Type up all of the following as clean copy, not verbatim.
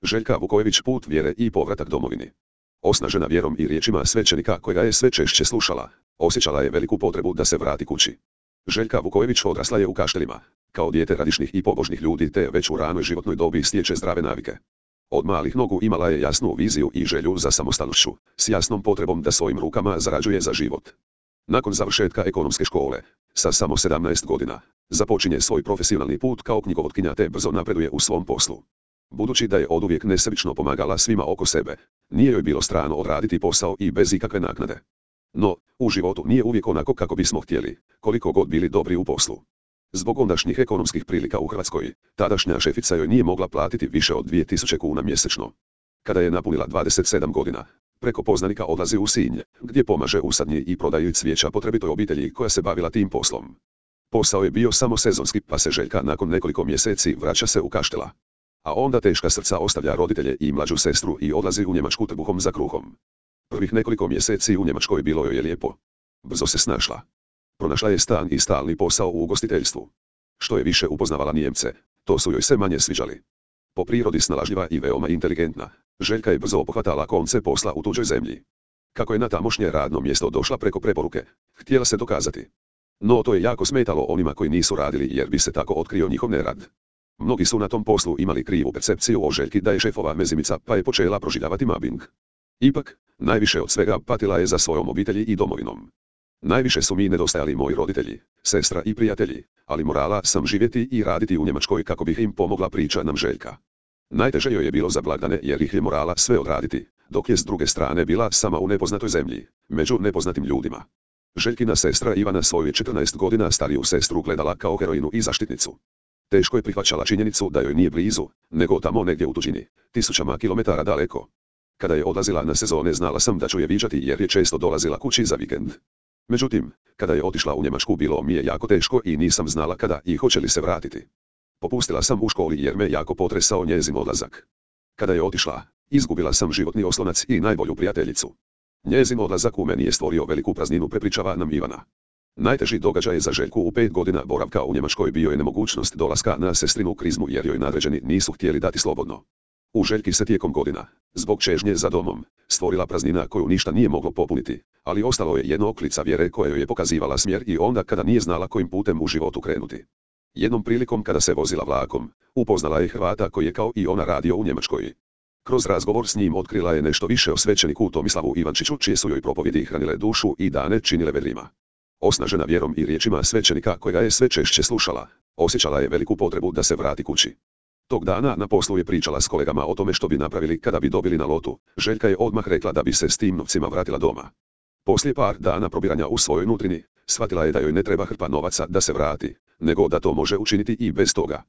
Željka Vukojević put vjere i povratak domovini. Osnažena vjerom i riječima svećenika kojega je sve češće slušala, osjećala je veliku potrebu da se vrati kući. Željka Vukojević odrasla je u Kaštelima, kao dijete radišnih i pobožnih ljudi te već u ranoj životnoj dobi stječe zdrave navike. Od malih nogu imala je jasnu viziju i želju za samostalnošću, s jasnom potrebom da svojim rukama zarađuje za život. Nakon završetka ekonomske škole, sa samo 17 godina, započinje svoj profesionalni put kao knjigovotkinja te brzo napreduje u svom poslu. Budući da je oduvijek nesebično pomagala svima oko sebe, nije joj bilo strano odraditi posao i bez ikakve naknade. No, u životu nije uvijek onako kako bismo htjeli, koliko god bili dobri u poslu. Zbog ondašnjih ekonomskih prilika u Hrvatskoj, tadašnja šefica joj nije mogla platiti više od 2000 kuna mjesečno. Kada je napunila 27 godina, preko poznanika odlazi u Sinj, gdje pomaže u sadnji i prodaji cvijeća potrebitoj obitelji koja se bavila tim poslom. Posao je bio samo sezonski, pa se Željka nakon nekoliko mjeseci vraća se u Kaštela. A onda teška srca ostavlja roditelje i mlađu sestru i odlazi u Njemačku trbuhom za kruhom. Prvih nekoliko mjeseci u Njemačkoj bilo joj je lijepo. Brzo se snašla. Pronašla je stan i stalni posao u ugostiteljstvu. Što je više upoznavala Nijemce, to su joj se manje sviđali. Po prirodi snalažljiva i veoma inteligentna, Željka je brzo pohvatala konce posla u tuđoj zemlji. Kako je na tamošnje radno mjesto došla preko preporuke, htjela se dokazati. No to je jako smetalo onima koji nisu radili jer bi se tako otkrio njihov nerad. Mnogi su na tom poslu imali krivu percepciju o Željki da je šefova mezimica pa je počela proživljavati mobbing. Ipak, najviše od svega patila je za svojom obitelji i domovinom. Najviše su mi nedostajali moji roditelji, sestra i prijatelji, ali morala sam živjeti i raditi u Njemačkoj kako bih im pomogla, priča nam Željka. Najteže joj je bilo za blagdane jer ih je morala sve odraditi, dok je s druge strane bila sama u nepoznatoj zemlji, među nepoznatim ljudima. Željkina sestra Ivana svoju je 14 godina stariju sestru gledala kao heroinu i zaštitnicu. Teško je prihvaćala činjenicu da joj nije blizu, nego tamo negdje u tuđini, tisućama kilometara daleko. Kada je odlazila na sezone znala sam da ću je viđati jer je često dolazila kući za vikend. Međutim, kada je otišla u Njemačku bilo mi je jako teško i nisam znala kada i hoće li se vratiti. Popustila sam u školi jer me jako potresao njezin odlazak. Kada je otišla, izgubila sam životni oslonac i najbolju prijateljicu. Njezin odlazak u meni je stvorio veliku prazninu, prepričava nam Ivana. Najteži događaj za Željku u 5 godina boravka u Njemačkoj bio je nemogućnost dolaska na sestrinu krizmu jer joj nadređeni nisu htjeli dati slobodno. U Željki se tijekom godina, zbog čežnje za domom, stvorila praznina koju ništa nije moglo popuniti, ali ostalo je jedno oklica vjere koja joj je pokazivala smjer i onda kada nije znala kojim putem u životu krenuti. Jednom prilikom kada se vozila vlakom, upoznala je Hrvata koji je kao i ona radio u Njemačkoj. Kroz razgovor s njim otkrila je nešto više o svećeniku Tomislavu Ivančiću čije su joj propovjedi hranile dušu i dane činile vedrima. Osnažena vjerom i riječima svećenika kojega je sve češće slušala, osjećala je veliku potrebu da se vrati kući. Tog dana na poslu je pričala s kolegama o tome što bi napravili kada bi dobili na lotu. Željka je odmah rekla da bi se s tim novcima vratila doma. Poslije par dana probiranja u svojoj nutrini, shvatila je da joj ne treba hrpa novaca da se vrati, nego da to može učiniti i bez toga.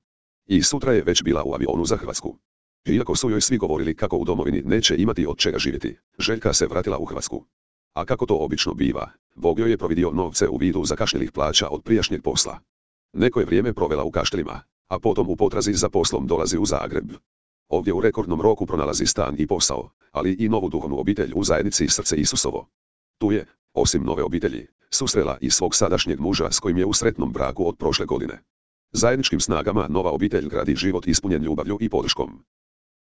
I sutra je već bila u avionu za Hrvatsku. Iako su joj svi govorili kako u domovini neće imati od čega živjeti, Željka se vratila u Hrvatsku. A kako to obično biva, Bog joj je providio novce u vidu zakašnjelih plaća od prijašnjeg posla. Neko je vrijeme provela u Kaštelima, a potom u potrazi za poslom dolazi u Zagreb. Ovdje u rekordnom roku pronalazi stan i posao, ali i novu duhovnu obitelj u zajednici Srce Isusovo. Tu je, osim nove obitelji, susrela i svog sadašnjeg muža s kojim je u sretnom braku od prošle godine. Zajedničkim snagama nova obitelj gradi život ispunjen ljubavlju i podrškom.